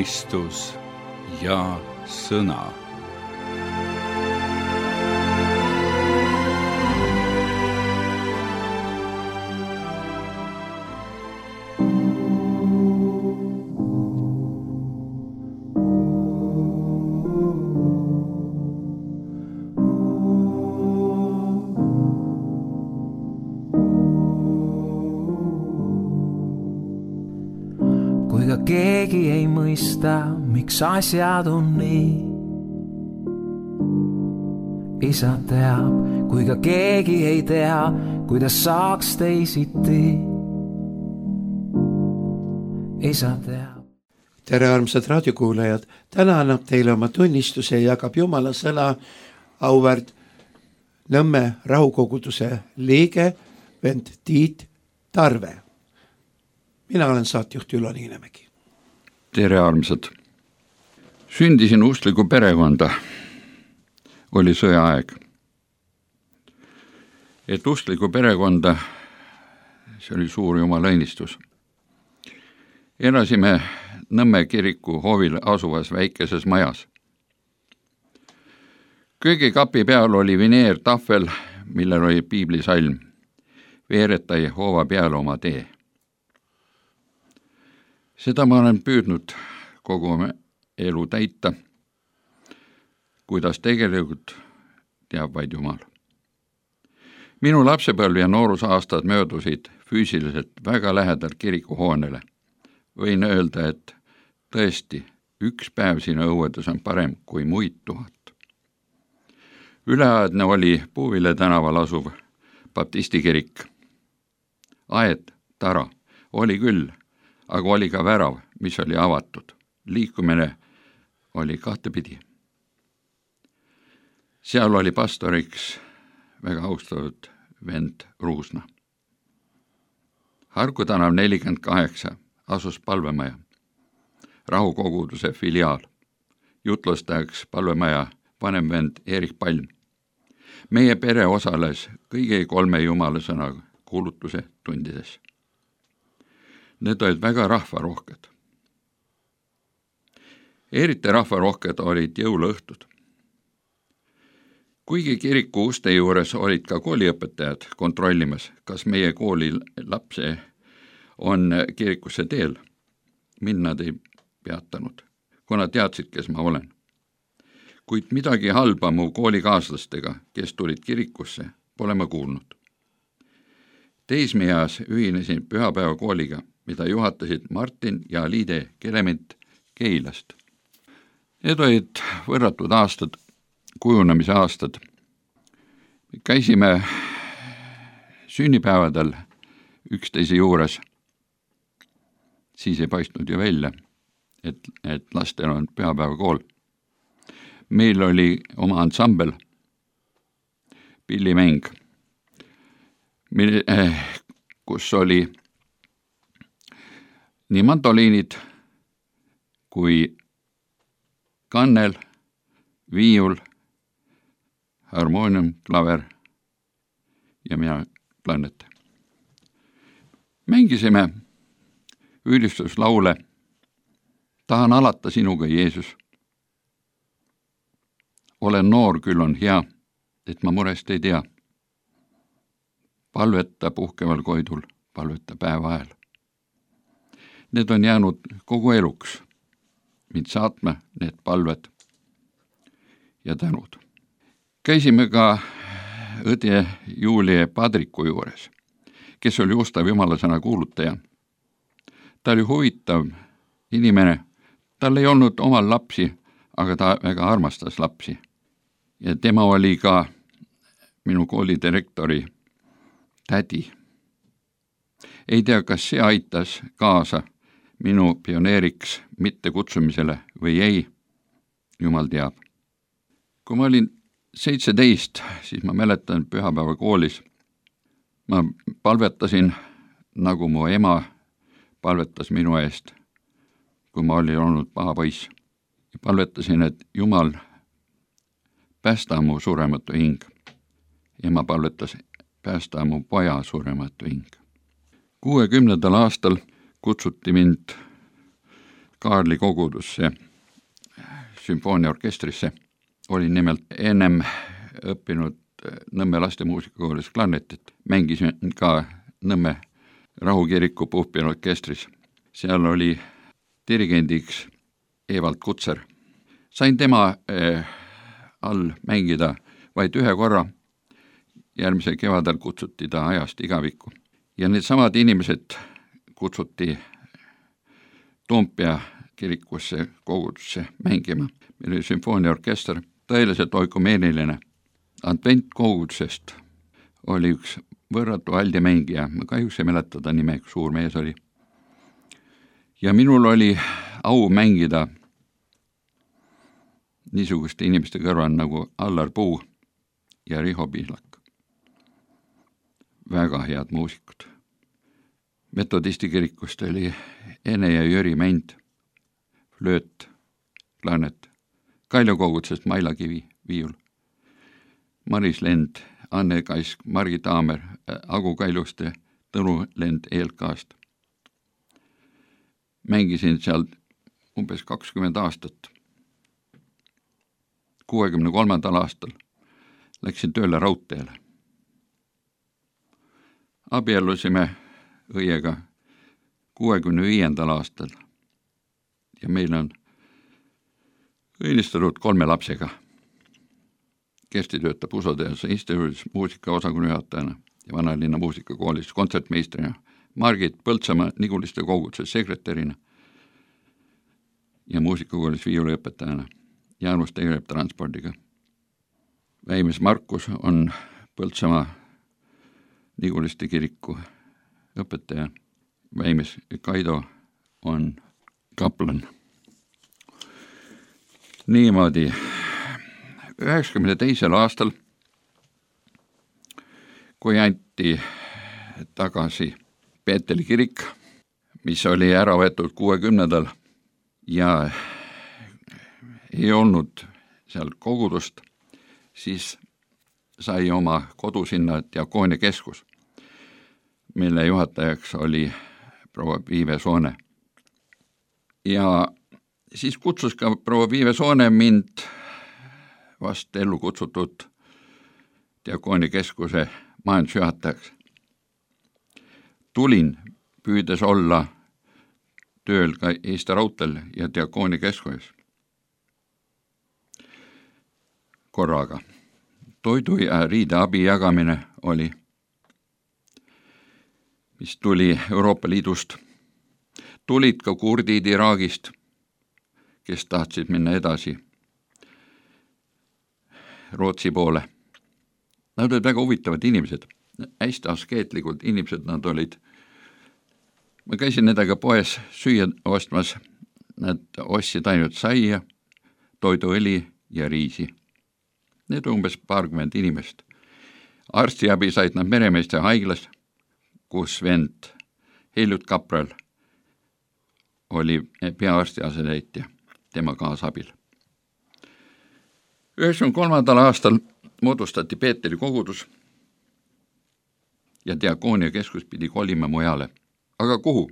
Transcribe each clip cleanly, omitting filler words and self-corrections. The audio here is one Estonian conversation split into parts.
Kristus ja sõna. Kui ka keegi ei mõista, miks asjad on nii. Isa teab, kui ka keegi ei tea, kuidas saaks teisiti. Isa teab. Tere armsad raadiokuulajad, täna annab teile oma tunnistuse ja jagab Jumala sõna auväärt Nõmme rahukoguduse liige vend Tiit Tarve. Mina olen saatjuht Ülo Niinemägi. Tere armsad. Sündisin usklikku perekonda. Oli sõjaaeg. Et usklikku perekonda, see oli suur Jumala õnnistus. Elasime Nõmme kiriku hoovil asuvas väikeses majas. Köögikapi peal oli vineertahvel, millel oli piiblisalm. Veereta Jehova peale oma tee. Seda ma olen püüdnud kogu elu täita, kuidas tegelikult teab vaid Jumal. Minu lapsepõlv ja noorusaastad möödusid füüsiliselt väga lähedal kirikuhoonele. Võin öelda, et tõesti, üks päev siin õuedes on parem kui muid 1000. Üleaedne oli Puuvile tänaval asuv baptistikirik. Aed, tara, oli küll, aga oli ka värav, mis oli avatud. Liikumine oli kahtepidi. Seal oli pastoriks väga austatud vend Ruusna. Harku tänav 48 asus palvemaja, rahukoguduse filiaal. Jutlustajaks palvemaja vanem vend Erik Palm. Meie pere osales kõigi 3 Jumala sõna kuulutuse tundides. Need olid väga rahvarohked. Eriti rahvarohked olid jõuluõhtud. Kuigi kiriku uste juures olid ka kooliõpetajad kontrollimas, kas meie kooli lapse on kirikusse teel, mind nad ei peatanud, kuna teadsid, kes ma olen. Kuid midagi halba mu koolikaaslastega, kes tulid kirikusse, pole ma kuulnud. Teismeeas ühinesin pühapäeva kooliga, mida juhatasid Martin ja Liide Kelement Keilast. Need olid võrratud aastad, kujunemise aastad. Käisime sünnipäevadel üksteise juures. Siis ei paistnud ju välja, et lastel on pühapäeva kool. Meil oli oma ansambel, pillimäng, kus oli nii mandoliinid kui kannel, viiul, harmoonium, klaver ja mina klarnet. Mängisime ülistuslaule Tahan alata sinuga, Jeesus. Olen noor, küll on hea, et ma murest ei tea. Palveta puhkeval koidul, palveta päeva ajal. Need on jäänud kogu eluks, mind saatma need palved ja tänud. Käisime ka õde Julie Padriku juures, kes oli ustav jumalasõna kuulutaja. Ta oli huvitav inimene, tal ei olnud omal lapsi, aga ta väga armastas lapsi. Ja tema oli ka minu kooli direktori tädi. Ei tea, kas see aitas kaasa minu pioneeriks mitte kutsumisele või ei, Jumal teab. Kui ma olin 17, siis ma mäletan pühapäeva koolis. Ma palvetasin, nagu mu ema palvetas minu eest, kui ma olin olnud paha poiss. Palvetasin, et Jumal päästa mu surematu hing. Ema palvetas, päästa mu poja surematu hing. 60. aastal kutsuti mind Kaarli kogudusse sümfooniaorkestrisse. Olin nimelt ennem õppinud Nõmme laste muusikakoolis klarnetit. Mängisin ka Nõmme rahukiriku puhkpilliorkestris. Seal oli dirigendiks Evald Kutser. Sain tema all mängida vaid ühe korra. Järgmisel kevadel kutsuti ta ajast igavikku. Ja need samad inimesed kutsuti Toompea kirikusse kogudusse mängima. Meil oli sümfooniaorkester, tõeliselt oikumeeniline. Adventkogudusest oli üks võrratu aldi mängija, ma kahjuks ei mäleta ta nime, üks suur mees oli. Ja minul oli au mängida niisuguste inimeste kõrval nagu Allar Puu ja Riho Pihlak. Väga head muusikud. Metodisti kirikust oli Ene ja Jüri Mänd, flööt, klarnet, Kaljo kogudusest Maila Kivi, viiul, Maris Lend, Anne Kaisk, Margi Taamer, Agu Kaljuste, Tõnu Lend ELK-st. Mängisin seal umbes 20 aastat. 63. aastal läksin tööle raudteele. Abiellusime õiega 65. aastal ja meil on õnnistunud 3 lapsega. Kersti töötab Usoteaduse instituudis muusikaosakonna juhatajana ja Vanalinna muusikakoolis kontsertmeistrina, Margit Põltsamaa Niguliste koguduse sekretärina ja muusikakoolis viiuliõpetajana. Jaanus tegeleb transpordiga. Väimes Markus on Põltsamaa Niguliste kiriku õpetaja. Väimes Kaido on kaplan. Niimoodi 92. aastal, kui anti tagasi Peeteli kirik, mis oli ära võetud 60. ja ei olnud seal kogudust, siis sai oma kodu sinna Diakoonia keskus, mille juhatajaks oli proua Viive Soone. Ja siis kutsus ka proua Viive Soone mind vast ellu kutsutud Diakoonia keskuse majandusjuhatajaks. Tulin püüdes olla tööl ka Eesti Raudteel ja Diakoonia keskuses. Korraga. Toidu ja riideabi jagamine oli, mis tuli Euroopa Liidust. Tulid ka kurdid Iraagist, kes tahtsid minna edasi Rootsi poole. Nad olid väga huvitavad inimesed, hästi askeetlikud inimesed nad olid. Ma käisin nendega poes süüa ostmas, nad ostsid ainult saia, toiduõli ja riisi. Need umbes 20 inimest. Arstiabi said nad Meremeeste haiglas, kus vend Heljut Kapral oli peaarsti asetäitja tema kaasabil. 93. aastal moodustati Peeteli kogudus ja Diakoonia keskus pidi kolima mujale. Aga kuhu?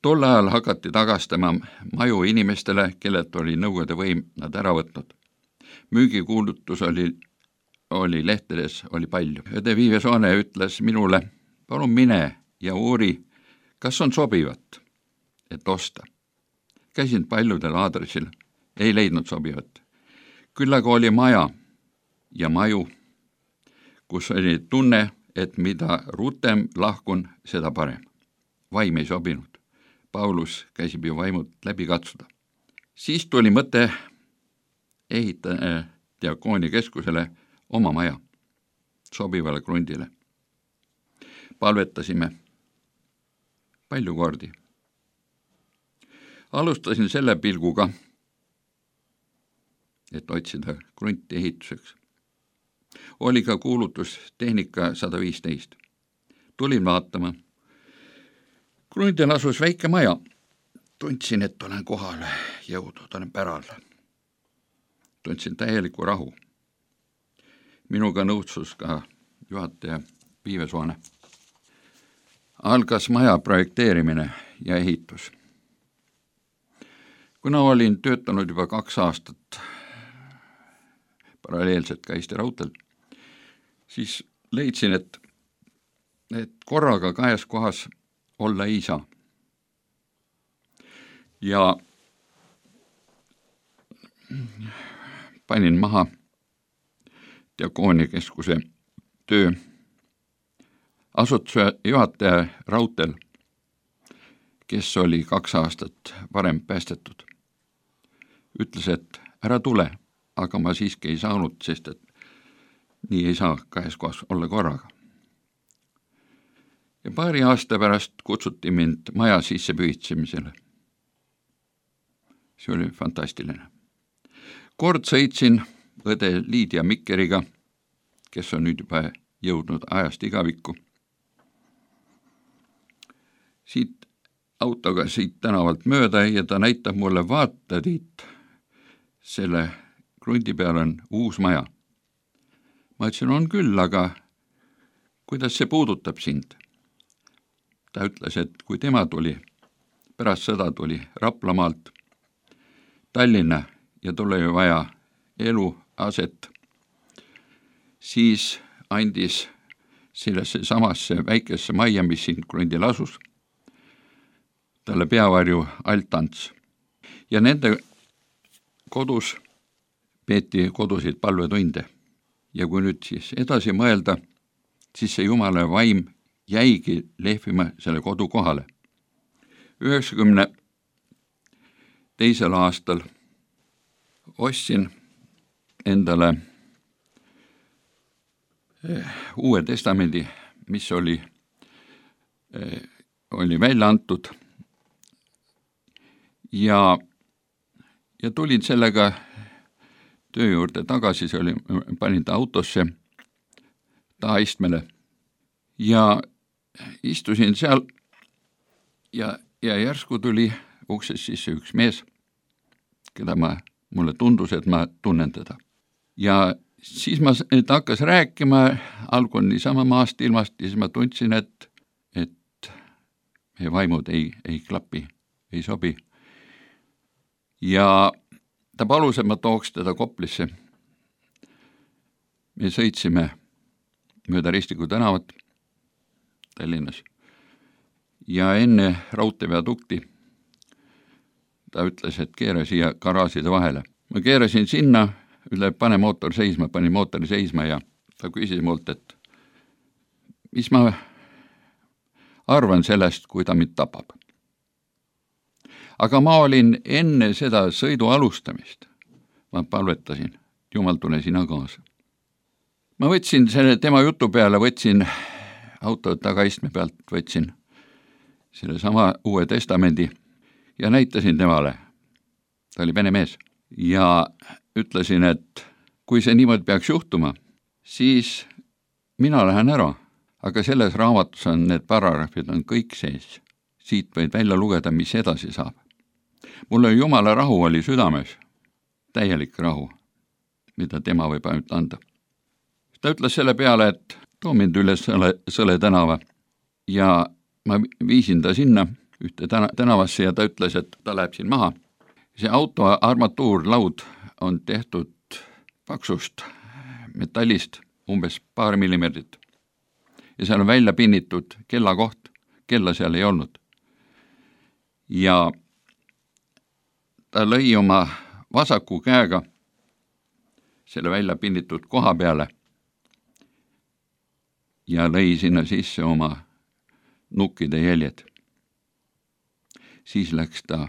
Tol ajal hakati tagastama maju inimestele, kellelt oli Nõukogude võim nad ära võtnud. Müügikuulutus oli lehtedes, oli palju. Õde Viive Soone ütles minule, palun mine ja uuri, kas on sobivat, et osta. Käisin paljudel aadressil, ei leidnud sobivat. Küll aga oli maja ja maju, kus oli tunne, et mida rutem lahkun, seda parem. Vaim ei sobinud. Paulus käisib ju vaimud läbi katsuda. Siis tuli mõte ehitada Diakoonia keskusele oma maja sobivale krundile. Palvetasime palju kordi. Alustasin selle pilguga, et otsida krunti ehituseks. Oli ka kuulutus tehnika 115. Tulin vaatama. Krundil asus väike maja. Tundsin, et olen kohale jõudnud, olen päral. Tundsin täieliku rahu. Minuga nõudsus ka juhataja Viive Soone. Algas maja projekteerimine ja ehitus. kuna olin töötanud juba 2 aastat paralleelselt ka Eesti Raudteel, siis leidsin, et korraga 2 kohas olla ei saa. Ja panin maha Diakooniakeskuse töö. Asutuse juhataja Raudteel, kes oli 2 aastat varem päästetud, ütles, et ära tule, aga ma siiski ei saanud, sest et nii ei saa 2 kohas olla korraga. Ja paari aasta pärast kutsuti mind maja sisse pühitsemisele. See oli fantastiline. Kord sõitsin õde Liidia Mikkeriga, kes on nüüd juba jõudnud ajast igavikku. Autoga siit tänavalt mööda ja ta näitab mulle, vaata Tiit, selle krundi peal on uus maja. Ma ütlesin, on küll, aga kuidas see puudutab sind? Ta ütles, et kui tema tuli, pärast sõda tuli Raplamaalt Tallinna ja tuli vaja eluaset, siis andis sellesse samasse väikesse majja, mis siin krundil asus, talle peavarju Altants. Ja nende kodus peeti kodusid palvetunde. Ja kui nüüd siis edasi mõelda, siis see Jumala vaim jäigi lehvima selle kodu kohale. 92. aastal ostsin endale Uue Testamendi, mis oli välja antud ja tulin sellega töö juurde tagasi, see oli, panin ta autosse tahaistmele ja istusin seal ja järsku tuli uksest sisse üks mees, keda mulle tundus, et ma tunnen teda. Ja siis ta hakkas rääkima, algun niisama maast ilmast ja siis ma tundsin, et meie vaimud ei klapi, ei sobi. Ja ta palus, et ma tooks teda Koplisse. Me sõitsime mööda Ristiku tänavat Tallinnas ja enne raudteeviadukti ta ütles, et keera siia garaažide vahele. Ma keerasin sinna, pane mootor seisma, panin mootori seisma ja ta küsis mult, et mis ma arvan sellest, kui ta mind tapab. Aga ma olin enne seda sõidu alustamist. Ma palvetasin, Jumal, tule sina kaasa. Ma võtsin selle tema jutu peale, võtsin auto tagaistme pealt, võtsin selle sama Uue Testamendi ja näitasin temale. Ta oli vene mees ja ütlesin, et kui see niimoodi peaks juhtuma, siis mina lähen ära, aga selles raamatus on need paragrahvid on kõik sees. Siit võid välja lugeda, mis edasi saab. Mulle Jumala rahu oli südames, täielik rahu, mida tema võib ainult anda. Ta ütles selle peale, et too mind üles Sõle tänava ja ma viisin ta sinna ühte tänavasse ja ta ütles, et ta läheb siin maha. See auto armatuurlaud on tehtud paksust metallist, umbes 2 millimeetrit. Ja seal on välja pinnitud kellakoht, kella seal ei olnud. Ja ta lõi oma vasaku käega selle välja pinnitud koha peale ja lõi sinna sisse oma nukkide jäljed. Siis läks ta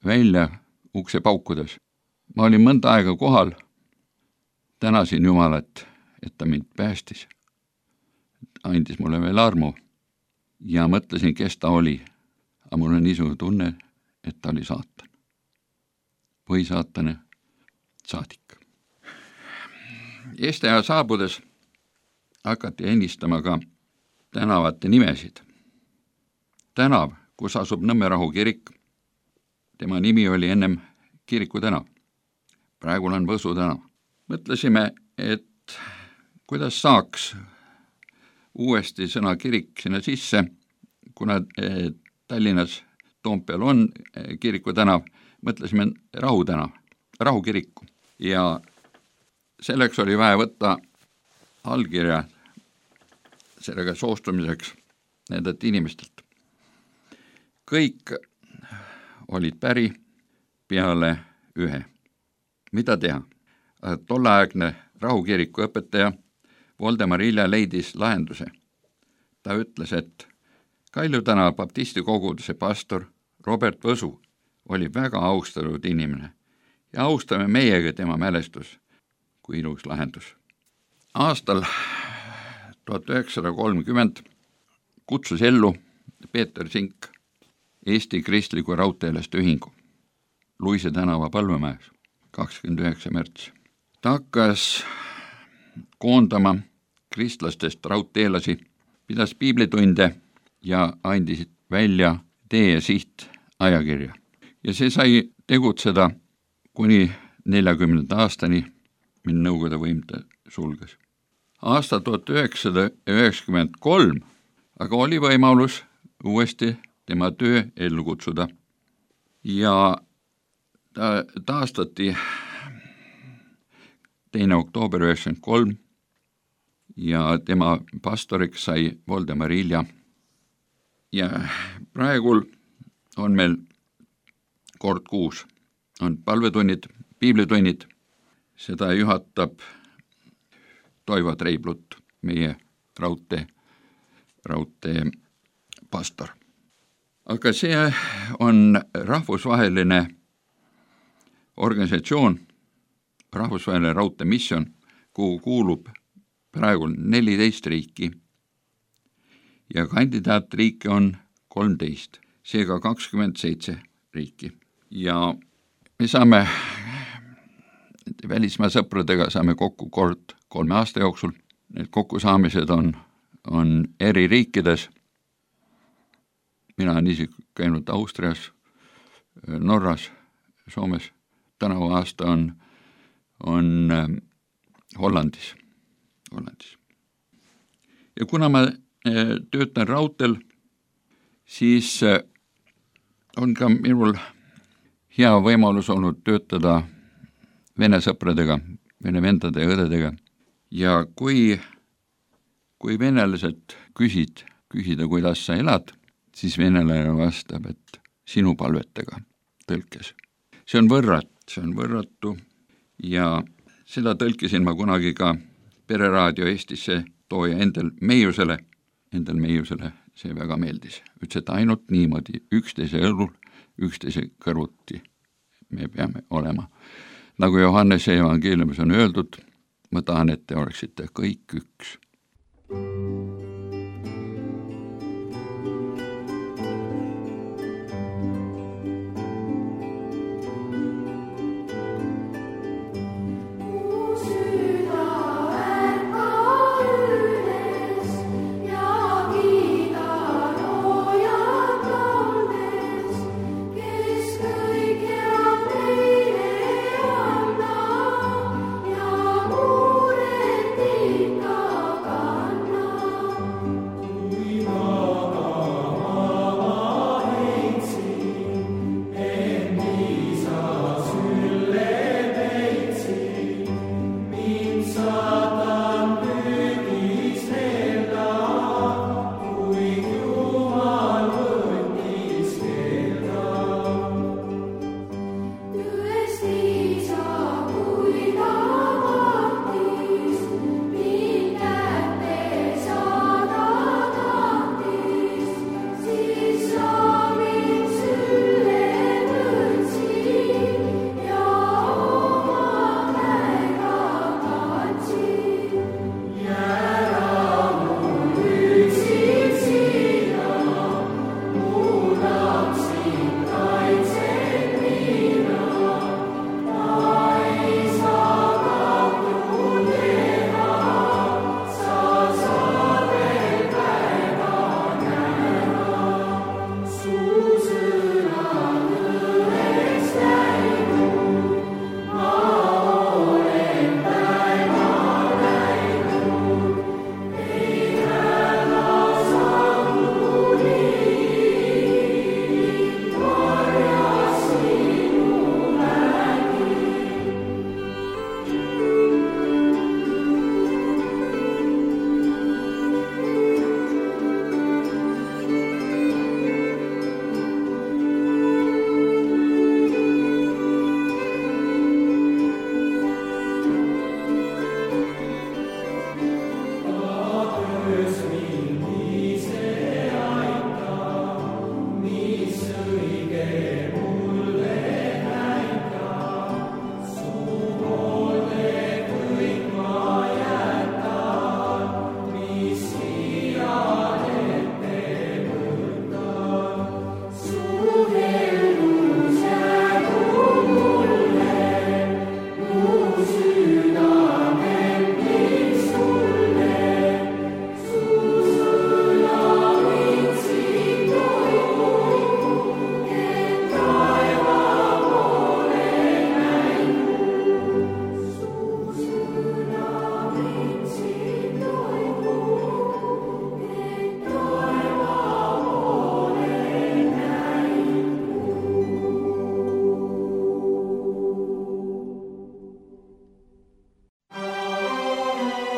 välja ukse paukudes. Ma olin mõnda aega kohal, tänasin Jumalat, et ta mind päästis. Andis mulle veel armu ja mõtlesin, kes ta oli. Aga mul on niisugune tunne, et ta oli saatan. Või saatane saadik. Eesti aja saabudes hakati ennistama ka tänavate nimesid. Tänav, kus asub Nõmmerahu kirik, tema nimi oli ennem Kiriku tänav. Praegu on Võsu tänav. Mõtlesime, et kuidas saaks uuesti sõna kirik sinna sisse, kuna Tallinnas Toompeal on Kiriku tänav, mõtlesime Rahu tänav, Rahu kiriku ja selleks oli vaja võtta allkirja sellega soostumiseks nendelt inimestelt. Kõik olid päri peale ühe. Mida teha? Tolleaegne Rahu kiriku õpetaja Voldemar Ilja leidis lahenduse. Ta ütles, et Kalju tänava baptisti koguduse pastor Robert Võsu oli väga austatud inimene ja austame meiega tema mälestus kui ilus lahendus. Aastal 1930 kutsus ellu Peeter Sink Eesti Kristliku Raudteelaste Ühingu Luise tänava Palvemäes 29. märts. Ta hakkas koondama kristlastest raudteelasi, pidas piiblitunde ja andis välja tee- ja siht ajakirja. Ja see sai tegutseda kuni 40. aastani, mil Nõukogude võim ta sulges. Aasta 1993 aga oli võimalus uuesti tema töö ellu kutsuda ja ta taastati 2. oktoober 1993 ja tema pastoriks sai Voldemar Ilja. Ja praegul on meil kord kuus, on palvetunnid, piiblitunnid, seda juhatab Toivo Treiblut, meie raudtee pastor. Aga see on rahvusvaheline organisatsioon, rahvusvaheline raudteemissioon, kuhu kuulub praegu 14 riiki ja kandidaatriike on 13, seega 27 riiki. Ja me saame välismaa sõpradega saame kokku kord 3 aasta jooksul. Need kokkusaamised on eri riikides. Mina olen isegi käinud Austrias, Norras, Soomes. Tänavu aasta on Hollandis. Ja kuna ma töötan raudteel, siis on ka minul hea võimalus olnud töötada vene sõpradega, vene vendade ja õdedega. Ja kui venelased küsida, kuidas sa elad, siis venelane vastab, et sinu palvetega tõlkes. See on võrratu ja seda tõlkisin ma kunagi ka Pereraadio Eestisse tooja Endel Meiusele see väga meeldis. Ütles, et ainult niimoodi üksteise õlul, üksteise kõrvuti me peame olema. Nagu Johannese evangeeliumis on öeldud, ma tahan, et te oleksite kõik üks.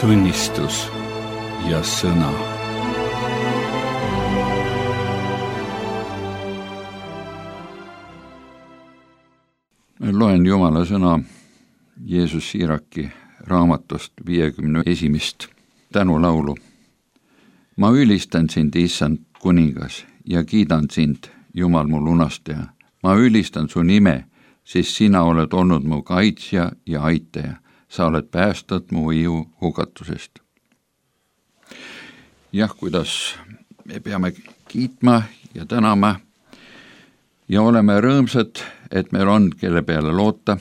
tunnistus ja sõna. Loen Jumala sõna Jeesus Siiraki raamatust 51. tänulaulu. Ma ülistan sind, issand kuningas, ja kiidan sind, Jumal mu lunastaja. Ma ülistan su nime, sest sina oled olnud mu kaitsja ja aitaja. Sa oled päästnud mu ihu hukatusest. Jah, kuidas me peame kiitma ja tänama ja oleme rõõmsad, et meil on, kelle peale loota.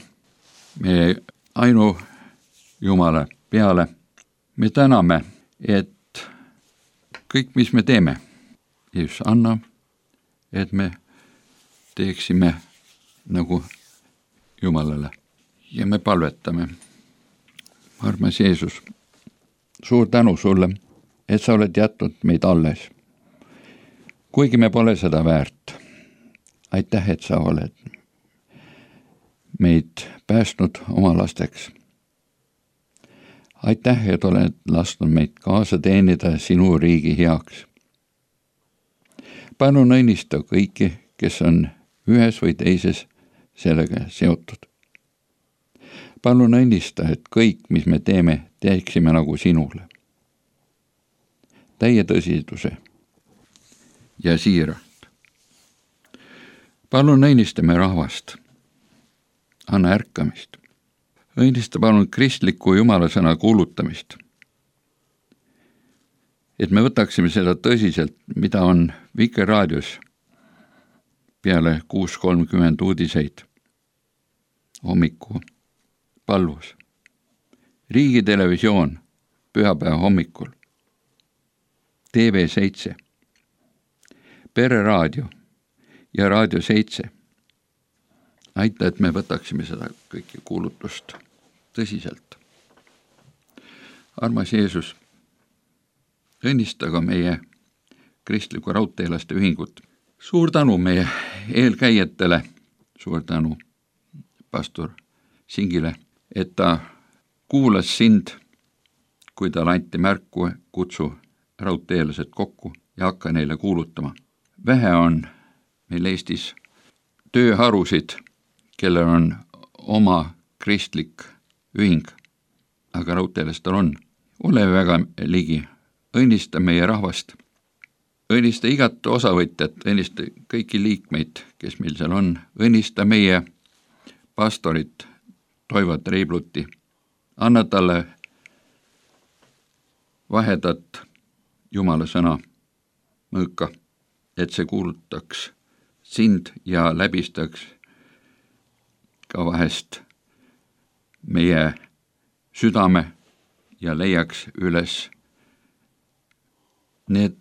Me ainu Jumala peale. Me täname, et kõik, mis me teeme, Jeesus anna, et me teeksime nagu Jumalale ja me palvetame. Armas Jeesus, suur tänu sulle, et sa oled jätnud meid alles. Kuigi me pole seda väärt. Aitäh, et sa oled meid päästnud oma lasteks. Aitäh, et oled lasknud meid kaasa teenida sinu riigi heaks. Palun õnnista kõiki, kes on ühes või teises sellega seotud. Palun õnnista, et kõik, mis me teeme, teeksime nagu sinule. Täie tõsiduse ja siiralt. Palun õnnistame rahvast. Anna ärkamist. Õnnista palun kristliku Jumala sõna kuulutamist. Et me võtaksime seda tõsiselt, mida on Vikerraadios peale 6.30 uudiseid hommiku palvus. Riigitelevisioon pühapäeva hommikul. TV7, Pereraadio ja Raadio 7. Aita, et me võtaksime seda kõiki kuulutust tõsiselt. Armas Jeesus, õnnista ka meie kristliku raudteelaste ühingut. Suur tänu meie eelkäijatele, suur tänu pastor Singile, et ta kuulas sind, kui tal anti märku, kutsu raudteelased kokku ja hakka neile kuulutama. Vähe on meil Eestis tööharusid, kellel on oma kristlik ühing, aga raudteelastel on. Ole väga ligi, õnnista meie rahvast, õnnista igat osavõtjat, õnnista kõiki liikmeid, kes meil seal on, õnnista meie pastorit Toivo Treibluti, anna talle vahedat Jumala sõna mõõka, et see kuulutaks sind ja läbistaks ka vahest meie südame ja leiaks üles need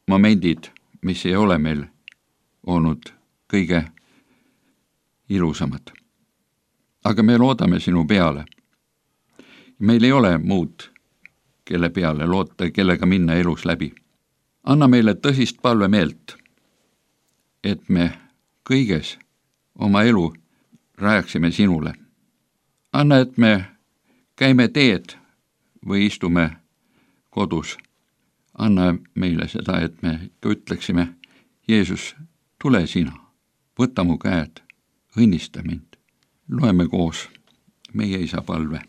momendid, mis ei ole meil olnud kõige ilusamad. Aga me loodame sinu peale. Meil ei ole muud, kelle peale loota, kellega minna elus läbi. Anna meile tõsist palvemeelt, et me kõiges oma elu rajaksime sinule. Anna, et me käime teed või istume kodus. Anna meile seda, et me ütleksime, Jeesus, tule sina, võta mu käed, õnnista mind. Loeme koos meie isa palve.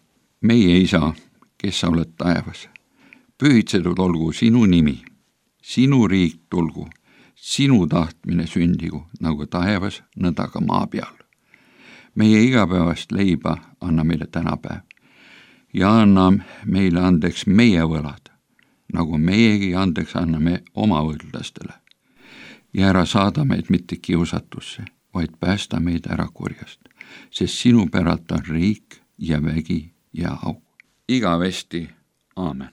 Meie isa, kes sa oled taevas, pühitsetud olgu sinu nimi, sinu riik tulgu, sinu tahtmine sündigu, nagu taevas, nõnda ka maa peal. Meie igapäevast leiba anna meile tänapäev ja anna meile andeks meie võlad, nagu meiegi andeks anname oma võlglastele. Ja ära saada meid mitte kiusatusse, vaid päästa meid ära kurjast, sest sinu päralt on riik ja vägi ja au. Igavesti, aamen.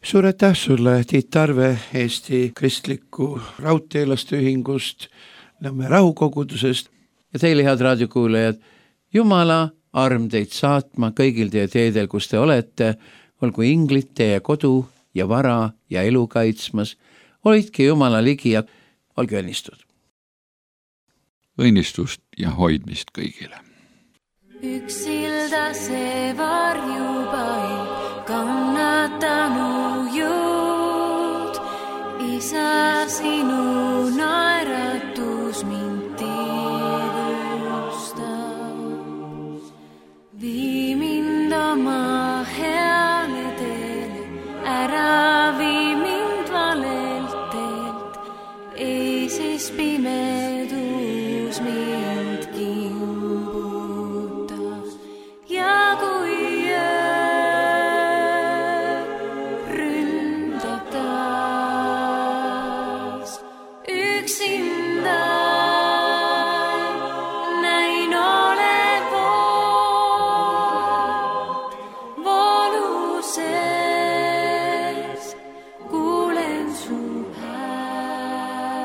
Suur aitäh sulle, Tiit Tarve Eesti Kristliku Raudteelaste Ühingust, Nõmme Rahukogudusest. Ja teile, head raadiokuulajad, Jumala arm teid saatma kõigil teie teedel, kus te olete, olgu inglid teie kodu ja vara ja elu kaitsmas. Hoidke Jumala ligi ja olge õnnistud. Õnnistust ja hoidmist kõigile. Üks silda see varjuba kannatanu jõud, Isa, sinu naeratus mind tiivustab. Vii mind oma heale teele, ära vii mind valelt teelt, ei siis pimedus mind kimbuta. Ja kui öö ründab taas üksinda, näin olevat vooluses, kuulen su häält,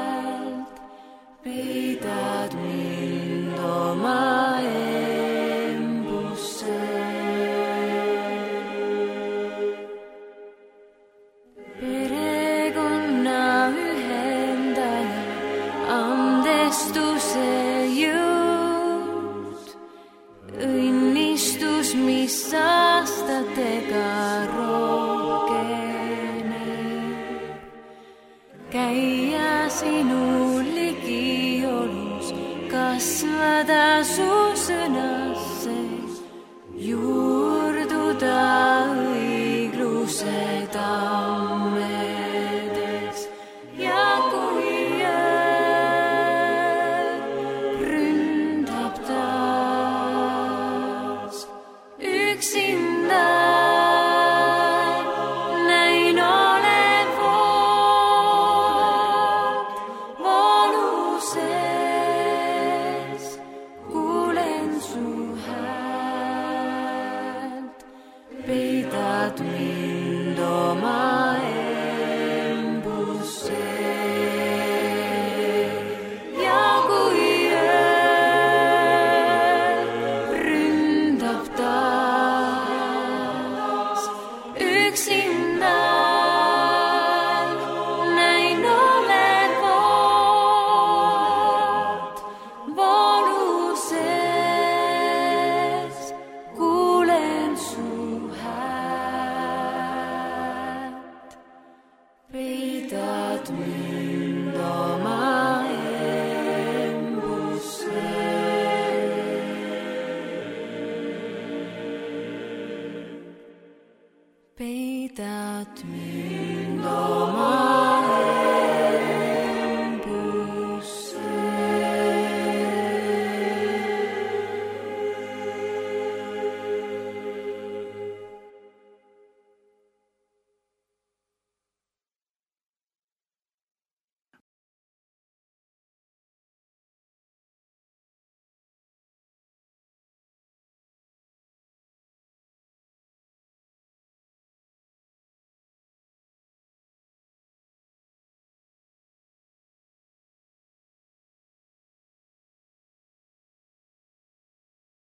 peidad mind oma embusse. Perekonna ühendaja, andestuse jõud, õnnistus, mis aastatega rohkeneb. Käia sinu ligiolus, kasvada su sõnasse, juurduda õigluse tammedes. Ja kui öö ründab taas üksinda, näin olevat vooluses, kuulen su häält, peidad mind oma embusse. Ja kui öö ründab taas üksinda, näin olevat vooluses, kuulen su häält, peidad mind oma embusse. Peidad mind